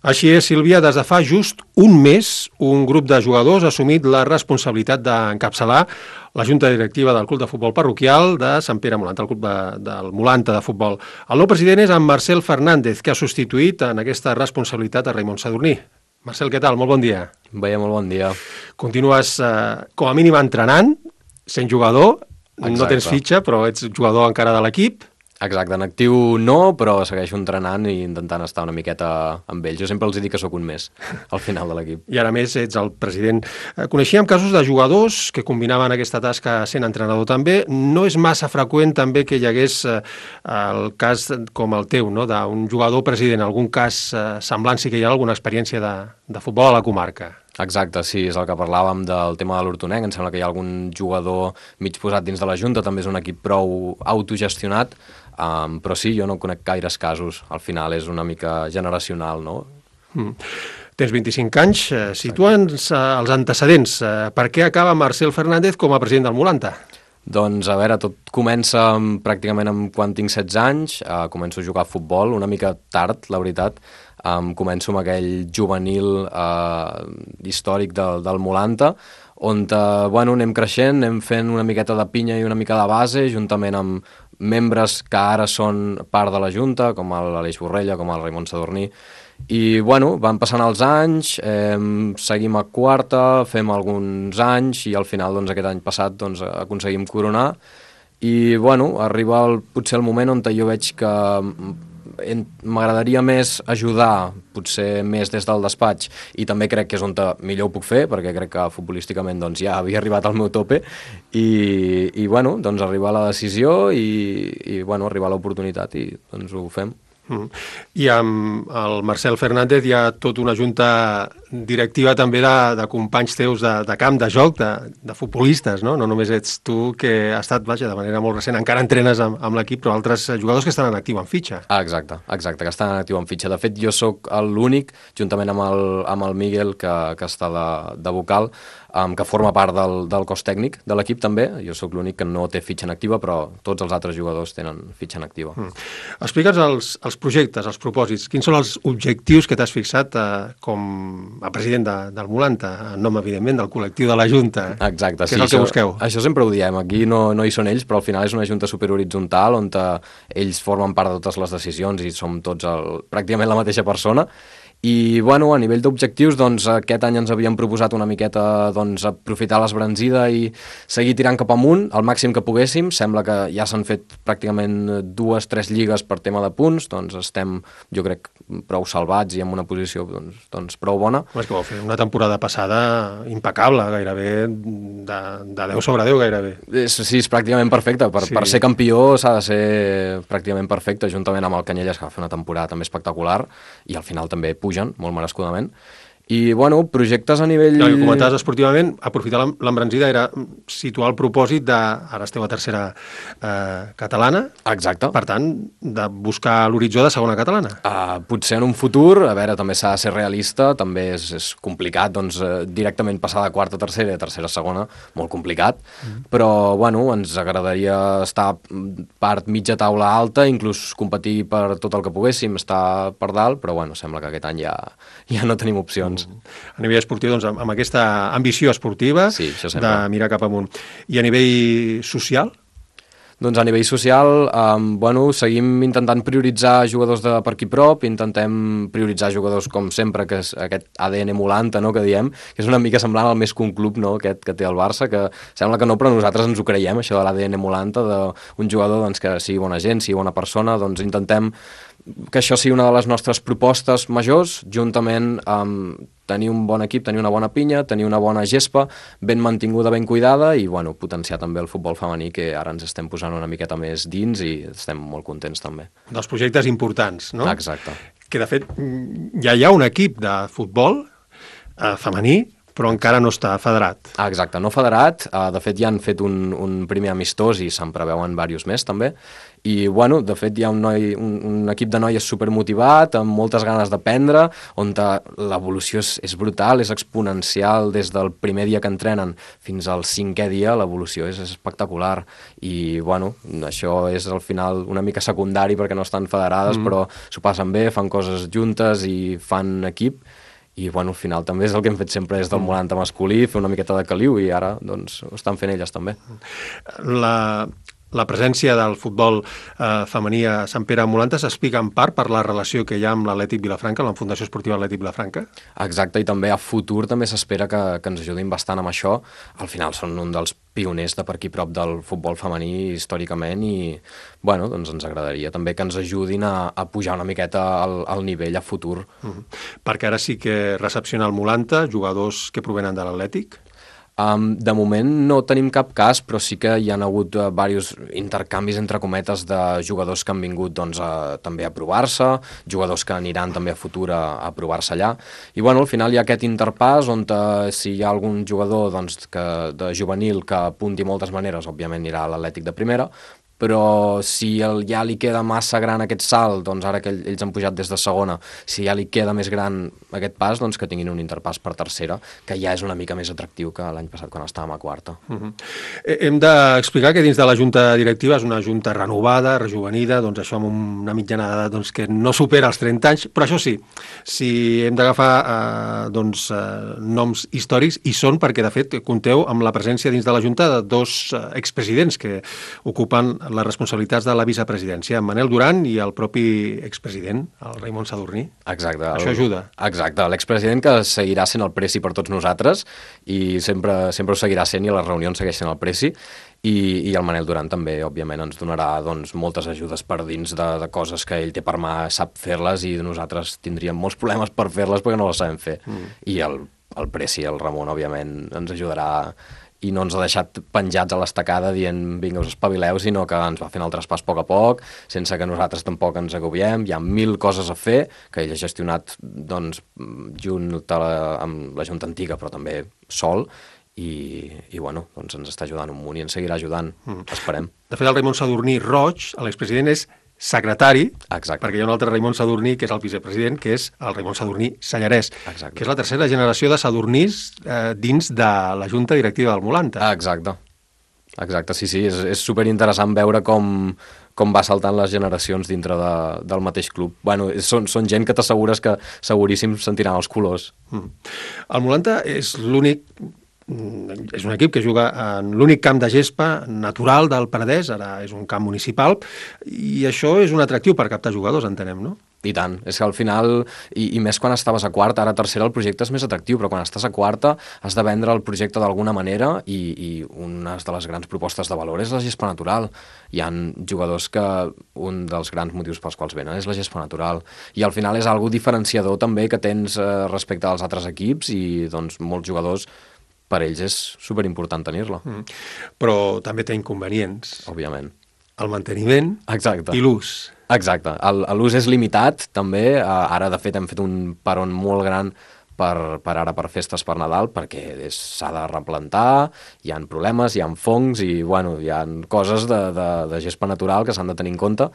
Així és, Sílvia, des de fa just un mes, un grup de jugadors ha assumit la responsabilitat d'encapçalar la junta directiva del Club de Futbol Parroquial de Sant Pere Molanta, el club del Molanta de futbol. El nou president és en Marcel Fernández, que ha substituït en aquesta responsabilitat a Raimon Sadurní. Marcel, què tal? Molt bon dia. Molt bon dia. Continues, com a mínim, entrenant, sent jugador. Exacte. No tens fitxa, però ets jugador encara de l'equip. Exacte, en actiu no, però segueixo entrenant i intentant estar una miqueta amb ells. Jo sempre els dic que sóc un mes al final de l'equip. I ara més ets el president. Coneixíem casos de jugadors que combinaven aquesta tasca sent entrenador també. No és massa freqüent també que hi hagués el cas com el teu, no? D'un jugador president. Algun cas semblant sí que hi ha alguna experiència de futbol a la comarca. Exacte, sí, és el que parlàvem del tema de l'Hortonenc. Em sembla que hi ha algun jugador mig posat dins de la Junta, també és un equip prou autogestionat, però sí, jo no conec gaires casos. Al final és una mica generacional, no? Tens 25 anys, situa'ns els antecedents. Per què acaba Marcel Fernández com a president del Molanta? Doncs, a veure, tot comença pràcticament quan tinc 16 anys, començo a jugar a futbol, una mica tard, la veritat. Començo amb aquell juvenil històric del Molanta, on anem creixent, anem fent una miqueta de pinya i una mica de base, juntament amb membres que ara són part de la Junta, com l'Aleix Borrella, com el Raimon Sadurní, i van passant els anys, seguim a quarta, fem alguns anys i al final aquest any passat aconseguim coronar i arriba potser el moment on jo veig que m'agradaria més ajudar, potser més des del despatx, i també crec que és on millor ho puc fer, perquè crec que futbolísticament ja havia arribat al meu tope i arribar a la decisió i arribar a l'oportunitat i ho fem. I amb el Marcel Fernández hi ha tota una junta directiva també de companys teus de camp, de joc, de futbolistes, no? No només ets tu que has estat, de manera molt recent, encara entrenes amb l'equip, però altres jugadors que estan en actiu en fitxa. Exacte, que estan en actiu en fitxa. De fet, jo sóc l'únic, juntament amb el Miguel, que està de vocal, que forma part del cos tècnic de l'equip també. Jo sóc l'únic que no té fitxa en activa, però tots els altres jugadors tenen fitxa en activa. Explica'ns els projectes, els propòsits. Quins són els objectius que t'has fixat com a president del Molanta, en nom, evidentment, del col·lectiu de la Junta? Exacte, sí. Què és el que busqueu? Això sempre ho diem. Aquí no hi són ells, però al final és una junta superhoritzontal on ells formen part de totes les decisions i som tots pràcticament la mateixa persona. I, a nivell d'objectius, aquest any ens havíem proposat una miqueta aprofitar l'esbranzida i seguir tirant cap amunt, el màxim que poguéssim. Sembla que ja s'han fet pràcticament 2-3 lligues per tema de punts, estem, jo crec, prou salvats i en una posició prou bona. És que vau fer una temporada passada impecable, gairebé de 10 sobre 10, gairebé. Sí, és pràcticament perfecte. Per ser campió s'ha de ser pràcticament perfecte, juntament amb el Canyelles, que va fer una temporada també espectacular, i al final també pugen, molt merescudament. I, projectes a nivell... El que comentaves esportivament, aprofitar l'embranzida era situar el propòsit ara esteu a tercera catalana. Exacte. Per tant, de buscar l'horitzó de segona catalana. Potser en un futur, a veure, també s'ha de ser realista, també és complicat, directament passar de quarta a tercera i de tercera a segona, molt complicat, però, ens agradaria estar part mitja taula alta, inclús competir per tot el que poguéssim, estar per dalt, però, sembla que aquest any ja no tenim opcions. A nivell esportiu, amb aquesta ambició esportiva de mirar cap amunt. I a nivell social? A nivell social, seguim intentant prioritzar jugadors de per aquí prop, intentem prioritzar jugadors com sempre, que és aquest ADN Molanta, no?, que diem, que és una mica semblant al més que un club, no?, aquest que té el Barça, que sembla que no, però nosaltres ens ho creiem, això de l'ADN Molanta, d'un jugador que sigui bona gent, sigui bona persona, intentem que això sigui una de les nostres propostes majors, juntament amb tenir un bon equip, tenir una bona pinya, tenir una bona gespa, ben mantinguda, ben cuidada, i potenciar també el futbol femení, que ara ens estem posant una miqueta més dins i estem molt contents també. Dels projectes importants, no? Exacte. Que de fet ja hi ha un equip de futbol femení però encara no està federat. Exacte, no federat. De fet, ja han fet un primer amistós i se'n preveuen diversos més, també. I, bueno, de fet, hi ha un equip de noies supermotivat, amb moltes ganes d'aprendre, on l'evolució és brutal, és exponencial des del primer dia que entrenen fins al 5è dia, l'evolució és espectacular. I, bueno, això és al final una mica secundari perquè no estan federades, però s'ho passen bé, fan coses juntes i fan equip. I, bueno, al final també és el que hem fet sempre des del Molanta masculí, fer una miqueta de caliu, i ara, doncs, ho estan fent elles també. La presència del futbol femení a Sant Pere Molanta s'explica en part per la relació que hi ha amb l'Atlètic Vilafranca, la Fundació Esportiva Atlètic Vilafranca? Exacte, i també a futur també s'espera que ens ajudin bastant amb això. Al final són un dels pioners de per aquí prop del futbol femení històricament i, bueno, doncs ens agradaria també que ens ajudin a pujar una miqueta al nivell a futur. Perquè ara sí que recepciona el Molanta jugadors que provenen de l'Atlètic? De moment no tenim cap cas, però sí que hi ha hagut diversos intercanvis, entre cometes, de jugadors que han vingut doncs, també a provar-se, jugadors que aniran també a futur a provar-se allà. I, bueno, al final hi ha aquest interpàs on si hi ha algun jugador doncs, de juvenil que apunti moltes maneres, òbviament anirà a l'Atlètic de primera, però si ja li queda massa gran aquest salt, doncs ara que ells han pujat des de segona, si ja li queda més gran aquest pas, doncs que tinguin un interpàs per tercera, que ja és una mica més atractiu que l'any passat quan estàvem a quarta. Hem d'explicar que dins de la junta directiva és una junta renovada, rejuvenida, doncs això amb una mitjana d'edat doncs, que no supera els 30 anys, però això sí, si hem d'agafar noms històrics, i són perquè de fet compteu amb la presència dins de la junta de dos expresidents que ocupen les responsabilitats de la vicepresidència, en Manel Duran i el propi expresident, el Raimon Sadurní. Exacte. Això ajuda. Exacte, l'expresident que seguirà sent el presi per tots nosaltres i sempre ho seguirà sent i a les reunions segueix sent el presi i el Manel Duran també, òbviament, ens donarà doncs, moltes ajudes per dins de coses que ell té per mà, sap fer-les i nosaltres tindríem molts problemes per fer-les perquè no les sabem fer. I el presi, el Ramon, òbviament, ens ajudarà i no ens ha deixat penjats a l'estacada dient vinga, us espavileu, sinó que ens va fent el traspàs a poc, sense que nosaltres tampoc ens agobiem. Hi ha 1000 coses a fer, que ell ha gestionat doncs, junt amb la Junta Antiga, però també sol, i bueno, doncs ens està ajudant un munt i ens seguirà ajudant, esperem. De fet, el Raimon Sadurní Roig, l'expresident, és secretari, Exacte. Perquè hi ha un altre Raimon Sadurní, que és el vicepresident, que és el Raimon Sadurní Sallarès, Exacte. que és la tercera generació de Sadurnís dins de la Junta Directiva del Molanta. Exacte, sí, és superinteressant veure com va saltant les generacions dintre del mateix club. Bueno, són gent que t'assegures que seguríssim sentiran els colors. El Molanta és un equip que juga en l'únic camp de gespa natural del Penedès, ara és un camp municipal, i això és un atractiu per captar jugadors, entenem, no? I tant, és que al final, i més quan estaves a quarta, ara a tercera el projecte és més atractiu, però quan estàs a quarta has de vendre el projecte d'alguna manera i una de les grans propostes de valor és la gespa natural. Hi ha jugadors que un dels grans motius pels quals venen és la gespa natural, i al final és algo diferenciador també que tens respecte als altres equips i doncs molts jugadors per ells és superimportant tenir-la. Però també té inconvenients. Òbviament. El manteniment Exacte. I l'ús. Exacte. L'ús és limitat, també. Ara, de fet, hem fet un peron molt gran per festes per Nadal, perquè s'ha de replantar, hi ha problemes, hi ha fongs i, bueno, hi ha coses de gespa natural que s'han de tenir en compte,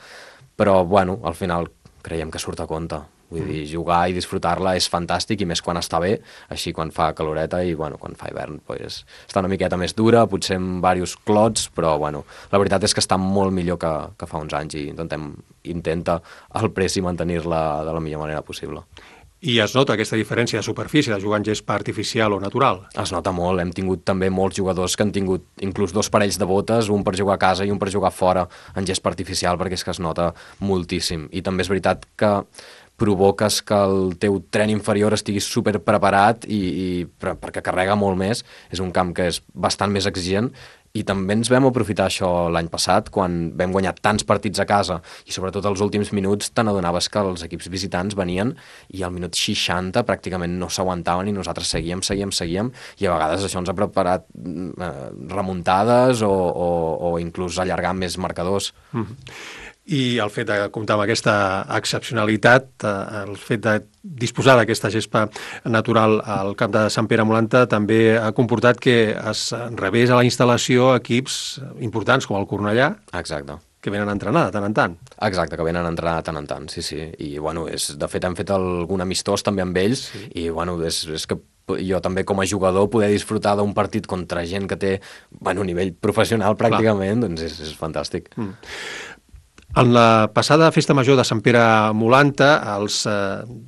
però, bueno, al final creiem que surt a compte. Vull dir, jugar i disfrutar-la és fantàstic, i més quan està bé, així quan fa caloreta i, bueno, quan fa hivern, pues, està una miqueta més dura, potser amb diversos clots, però, bueno, la veritat és que està molt millor que fa uns anys i intenta el presi mantenir-la de la millor manera possible. I es nota aquesta diferència de superfície de jugar en gespa artificial o natural? Es nota molt. Hem tingut també molts jugadors que han tingut inclús 2 parells de botes, un per jugar a casa i un per jugar fora en gespa artificial, perquè és que es nota moltíssim. I també és veritat que provoques que el teu tren inferior estigui super preparat perquè carrega molt més. És un camp que és bastant més exigent, i també ens vam aprofitar això l'any passat, quan vam guanyar tants partits a casa, i sobretot els últims minuts te n'adonaves que els equips visitants venien i al minut 60 pràcticament no s'aguantaven i nosaltres seguíem, i a vegades això ens ha preparat remuntades o inclús allargar més marcadors. I el fet de comptar amb aquesta excepcionalitat, el fet de disposar d'aquesta gespa natural al camp de Sant Pere Molanta també ha comportat que es rebés a la instal·lació equips importants com el Cornellà. Exacte. Que venen a entrenar de tant en tant. Exacte, que venen a entrenar de tant en tant, sí. I, bueno, de fet hem fet algun amistós també amb ells, sí. I, bueno, és que jo també com a jugador poder disfrutar d'un partit contra gent que té, bueno, nivell professional pràcticament, clar. Doncs és fantàstic. En la passada festa major de Sant Pere Molanta, els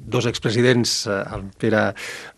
dos expresidents, el Pere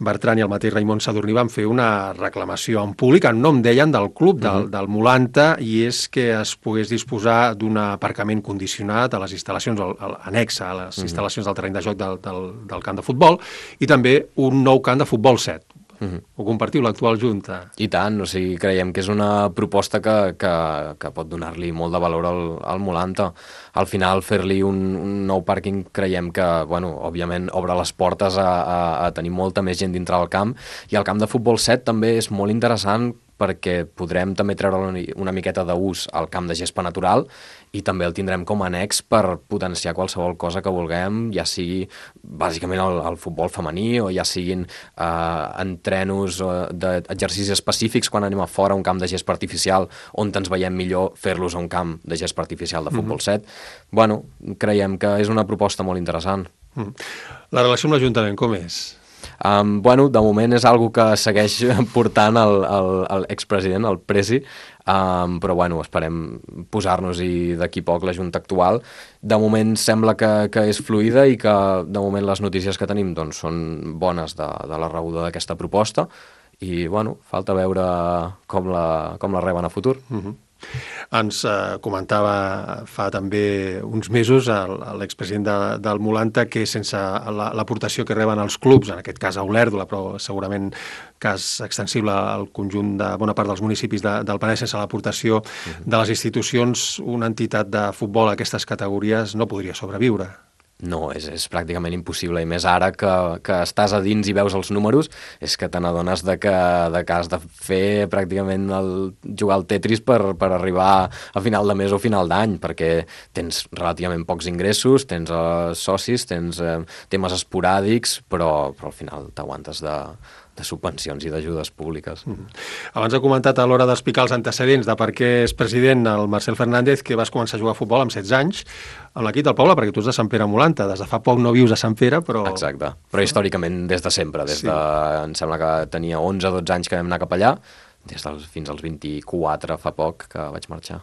Bertran i el mateix Raimon Sadurní, van fer una reclamació en públic, en nom, deien, del club del Molanta, i és que es pogués disposar d'un aparcament condicionat a les instal·lacions, annex a les instal·lacions del terreny de joc del camp de futbol, i també un nou camp de futbol 7. Ho compartiu, l'actual Junta? I tant, o sigui, creiem que és una proposta que pot donar-li molt de valor al Molanta. Al final, fer-li un nou pàrquing creiem que, bueno, òbviament obre les portes a tenir molta més gent dintre del camp, i el camp de futbol 7 també és molt interessant perquè podrem també treure una miqueta d'ús al camp de gespa natural, i també el tindrem com a annex per potenciar qualsevol cosa que vulguem, ja sigui bàsicament el futbol femení, o ja siguin entrenos d'exercicis específics quan anem a fora, un camp de gespa artificial on ens veiem millor, fer-los a un camp de gespa artificial de futbol 7. Bueno, creiem que és una proposta molt interessant. La relació amb l'Ajuntament com és? Bueno, de moment és algo que segueix portant l'expresident, el Presi, però bueno, esperem posar-nos-hi d'aquí poc la Junta actual. De moment sembla que és fluida i que de moment les notícies que tenim doncs, són bones de la rebuda d'aquesta proposta, i bueno, falta veure com la reben a futur. Ens comentava fa també uns mesos l'expresident del Molanta que sense l'aportació que reben els clubs, en aquest cas a Olèrdola, però segurament cas extensible al conjunt de bona part dels municipis del Penedès, sense l'aportació de les institucions, una entitat de futbol a aquestes categories no podria sobreviure. No, és pràcticament impossible, i més ara que estàs a dins i veus els números, és que te n'adones que has de fer pràcticament jugar al Tetris per arribar a final de mes o final d'any, perquè tens relativament pocs ingressos, tens socis, tens temes esporàdics, però al final t'aguantes de subvencions i d'ajudes públiques. Abans he comentat a l'hora d'explicar els antecedents de per què és president el Marcel Fernández, que vas començar a jugar a futbol amb 16 anys amb l'equip del poble, perquè tu ets de Sant Pere Molanta, des de fa poc no vius a Sant Pere, però... Exacte, però històricament des de sempre, em sembla que tenia 11-12 anys que vam anar cap allà, fins als 24 fa poc que vaig marxar.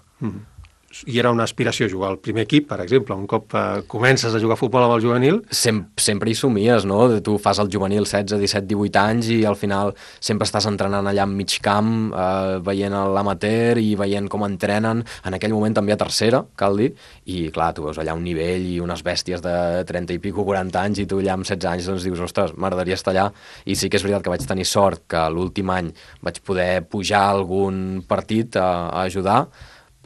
I era una aspiració jugar al primer equip, per exemple, un cop comences a jugar a futbol amb el juvenil? Sempre hi somies, no? Tu fas el juvenil 16, 17, 18 anys i al final sempre estàs entrenant allà en mig camp, veient l'amateur i veient com entrenen, en aquell moment també a tercera, cal dir, i clar, tu veus allà un nivell i unes bèsties de 30 i pico, 40 anys, i tu allà amb 16 anys doncs dius, ostres, m'agradaria estar allà, i sí que és veritat que vaig tenir sort que l'últim any vaig poder pujar a algun partit a ajudar,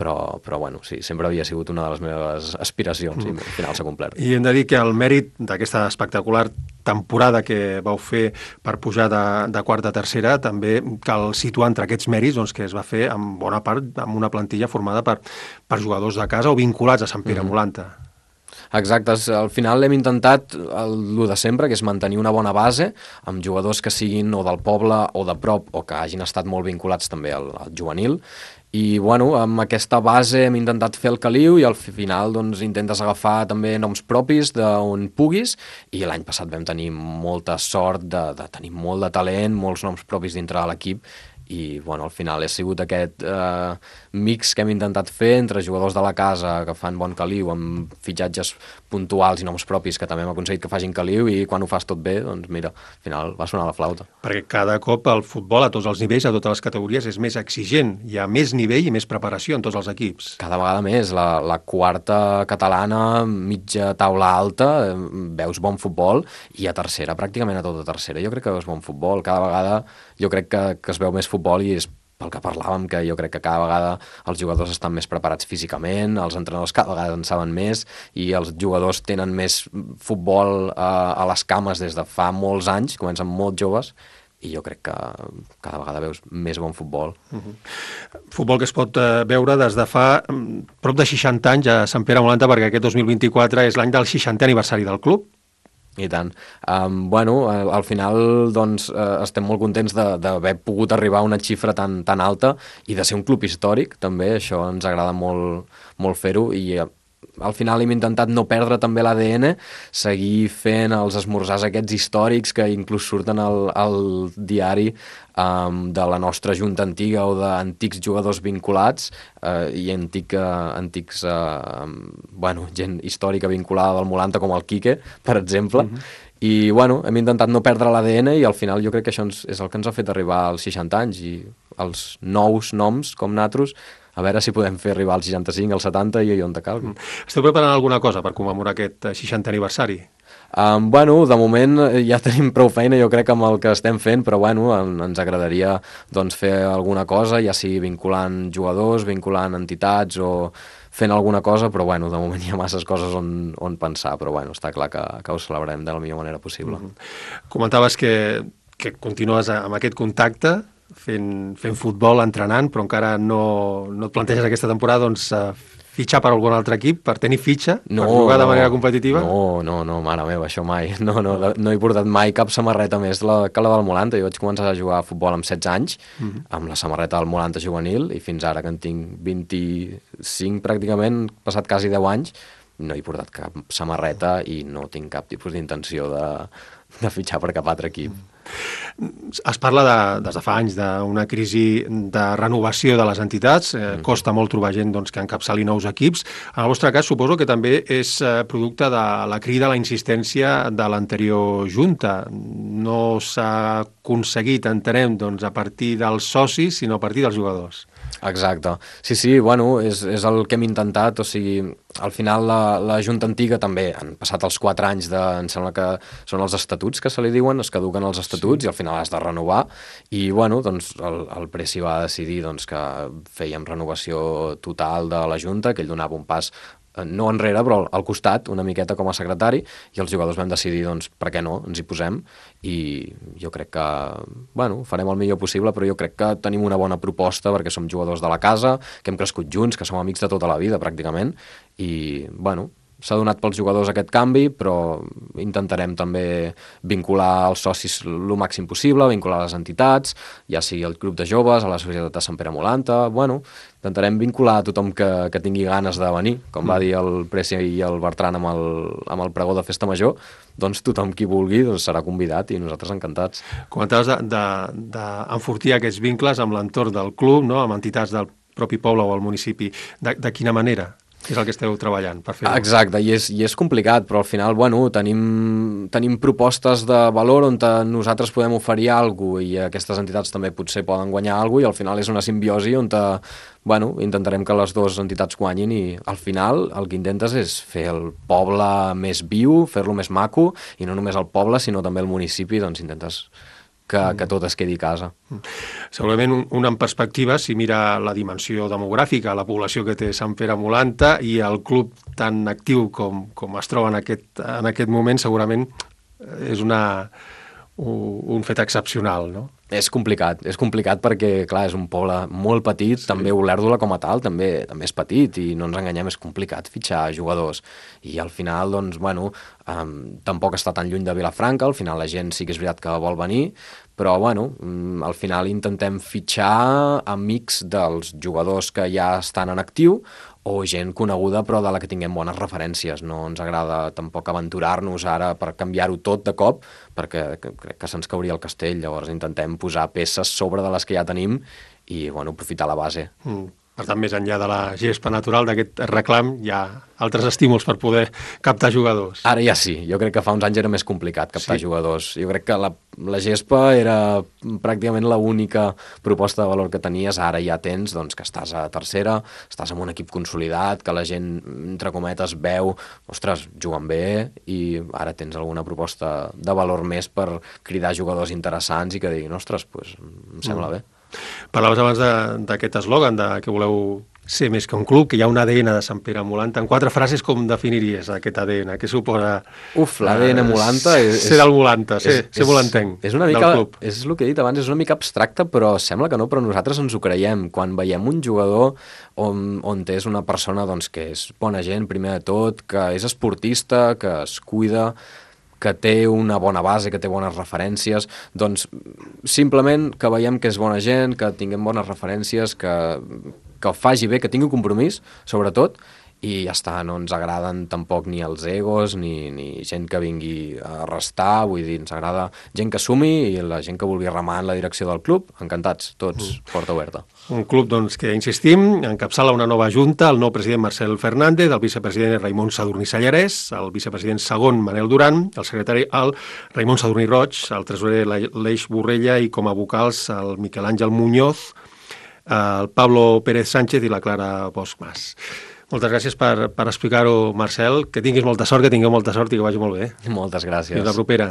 però bueno, sí, sempre havia sigut una de les meves aspiracions i al final s'ha complert. I hem de dir que el mèrit d'aquesta espectacular temporada que vau fer per pujar de quarta a tercera també cal situar entre aquests mèrits doncs, que es va fer en bona part amb una plantilla formada per jugadors de casa o vinculats a Sant Pere Molanta. Exacte, al final hem intentat el de sempre, que és mantenir una bona base amb jugadors que siguin o del poble o de prop o que hagin estat molt vinculats també al juvenil. I bueno, amb aquesta base hem intentat fer el caliu i al final doncs, intentes agafar també noms propis d'on puguis, i l'any passat vam tenir molta sort de tenir molt de talent, molts noms propis dintre de l'equip, i bueno, al final ha sigut aquest mix que hem intentat fer entre jugadors de la casa que fan bon caliu amb fitxatges puntuals i noms propis que també hem aconseguit que facin caliu, i quan ho fas tot bé, doncs mira, al final va sonar la flauta. Perquè cada cop el futbol a tots els nivells, a totes les categories, és més exigent, hi ha més nivell i més preparació en tots els equips. Cada vegada més, la quarta catalana, mitja taula alta, veus bon futbol, i a tercera, pràcticament a tota tercera, jo crec que veus bon futbol, cada vegada jo crec que es veu més futbol, i és pel que parlàvem, que jo crec que cada vegada els jugadors estan més preparats físicament, els entrenadors cada vegada en saben més, i els jugadors tenen més futbol a les cames des de fa molts anys, comencen molt joves, i jo crec que cada vegada veus més bon futbol. Futbol que es pot veure des de fa prop de 60 anys a Sant Pere Molanta, perquè aquest 2024 és l'any del 60è aniversari del club. I tant. Al final doncs, estem molt contents d'haver pogut arribar a una xifra tan alta i de ser un club històric, també, això ens agrada molt, molt fer-ho, i al final hem intentat no perdre també l'ADN, seguir fent els esmorzars aquests històrics que inclús surten al diari de la nostra junta antiga o d'antics jugadors vinculats i antics gent històrica vinculada del Molanta com el Quique, per exemple. I hem intentat no perdre l'ADN i al final jo crec que això és el que ens ha fet arribar als 60 anys i els nous noms com nosaltres, a veure si podem fer arribar als 65, als 70 i on te calgui. Esteu preparant alguna cosa per commemorar aquest 60è aniversari? De moment ja tenim prou feina, jo crec, amb el que estem fent, però ens agradaria fer alguna cosa, ja sigui vinculant jugadors, vinculant entitats o fent alguna cosa, però de moment hi ha masses coses on pensar, però està clar que ho celebrem de la millor manera possible. Comentaves que continues amb aquest contacte, fent futbol, entrenant, però encara no et planteges aquesta temporada fitxar per algun altre equip, per tenir fitxa, per jugar de manera competitiva? No, mare meva, això mai. No he portat mai cap samarreta més que la del Molanta. Jo vaig començar a jugar a futbol amb 16 anys, amb la samarreta del Molanta juvenil, i fins ara que en tinc 25 pràcticament, passat quasi 10 anys, no he portat cap samarreta i no tinc cap tipus d'intenció de fitxar per cap altre equip. Es parla des de fa anys d'una crisi de renovació de les entitats, costa molt trobar gent que encapçali nous equips. En el vostre cas suposo que també és producte de la crida, la insistència de l'anterior junta. No s'ha aconseguit, entenem, a partir dels socis, sinó a partir dels jugadors. Exacte. Sí, és el que hem intentat, o sigui, al final la Junta Antiga també han passat els 4 anys em sembla que són els estatuts que se li diuen, es caduquen els estatuts i al final has de renovar i el Presi va decidir que fèiem renovació total de la Junta, que ell donava un pas no enrere, però al costat, una miqueta com a secretari, i els jugadors vam decidir, per què no, ens hi posem, i jo crec que, farem el millor possible, però jo crec que tenim una bona proposta, perquè som jugadors de la casa, que hem crescut junts, que som amics de tota la vida, pràcticament, i, s'ha donat pels jugadors aquest canvi, però intentarem també vincular els socis el màxim possible, vincular les entitats, ja sigui el grup de joves, a la societat de Sant Pere Molanta, intentarem vincular a tothom que tingui ganes de venir, com va dir el Presi i el Bertran amb el pregó de Festa Major, tothom qui vulgui serà convidat i nosaltres encantats. Comentaves d'enfortir aquests vincles amb l'entorn del club, amb entitats del propi poble o el municipi. De quina manera? Què és el que esteu treballant per fer-ho? Exacte, i és complicat, però al final tenim propostes de valor on nosaltres podem oferir alguna cosa i aquestes entitats també potser poden guanyar alguna cosa i al final és una simbiosi on intentarem que les dues entitats guanyin i al final el que intentes és fer el poble més viu, fer-lo més maco i no només el poble sinó també el municipi, intentes que tot es quedi a casa. Segurament una en perspectiva, si mira la dimensió demogràfica, la població que té Sant Pere Molanta i el club tan actiu com es troba en aquest moment, segurament és un fet excepcional, no? És complicat perquè, clar, és un poble molt petit, també Olèrdola com a tal també és petit i no ens enganyem, és complicat fitxar jugadors i al final, tampoc està tan lluny de Vilafranca, al final la gent sí que és veritat que vol venir, però, al final intentem fitxar amics dels jugadors que ja estan en actiu o gent coneguda però de la que tinguem bones referències. No ens agrada tampoc aventurar-nos ara per canviar-ho tot de cop perquè crec que se'ns cauria el castell, llavors intentem posar peces sobre de les que ja tenim i aprofitar la base. Per tant, més enllà de la gespa natural d'aquest reclam, hi ha altres estímuls per poder captar jugadors. Ara ja sí, jo crec que fa uns anys era més complicat captar jugadors. Jo crec que la gespa era pràcticament l'única proposta de valor que tenies, ara ja tens que estàs a tercera, estàs en un equip consolidat, que la gent, entre cometes, veu, ostres, juguen bé, i ara tens alguna proposta de valor més per cridar jugadors interessants i que diguin, ostres, em sembla bé. Parlaves abans d'aquest eslògan que voleu ser més que un club, que hi ha un ADN de Sant Pere Molanta. En 4 frases, com definiries aquest ADN? Què suposa... L'ADN Molanta ser del Molanta, ser molantenc és una mica, del club. És el que he dit abans, és una mica abstracte, però sembla que no, però nosaltres ens ho creiem. Quan veiem un jugador on és una persona doncs, que és bona gent, primer de tot, que és esportista, que es cuida, que té una bona base, que té bones referències, doncs simplement que veiem que és bona gent, que tinguem bones referències, que faci bé, que tingui un compromís, sobretot, i ja està, no ens agraden tampoc ni els egos, ni gent que vingui a restar, vull dir, ens agrada gent que sumi i la gent que vulgui remar en la direcció del club, encantats, tots, porta oberta. Un club doncs, que, insistim, encapçala una nova junta, el nou president Marcel Fernández, el vicepresident Raimon Sadurní Sallarès, el vicepresident segon Manel Duran, el secretari el Raimon Sadurní Roig, el tresorer l'Eix Borrella i com a vocals el Miquel Àngel Muñoz, el Pablo Pérez Sánchez i la Clara Bosch Mas. Moltes gràcies per explicar-ho, Marcel. Que tinguis molta sort, que tingueu molta sort i que vagi molt bé. Moltes gràcies. Fins la propera.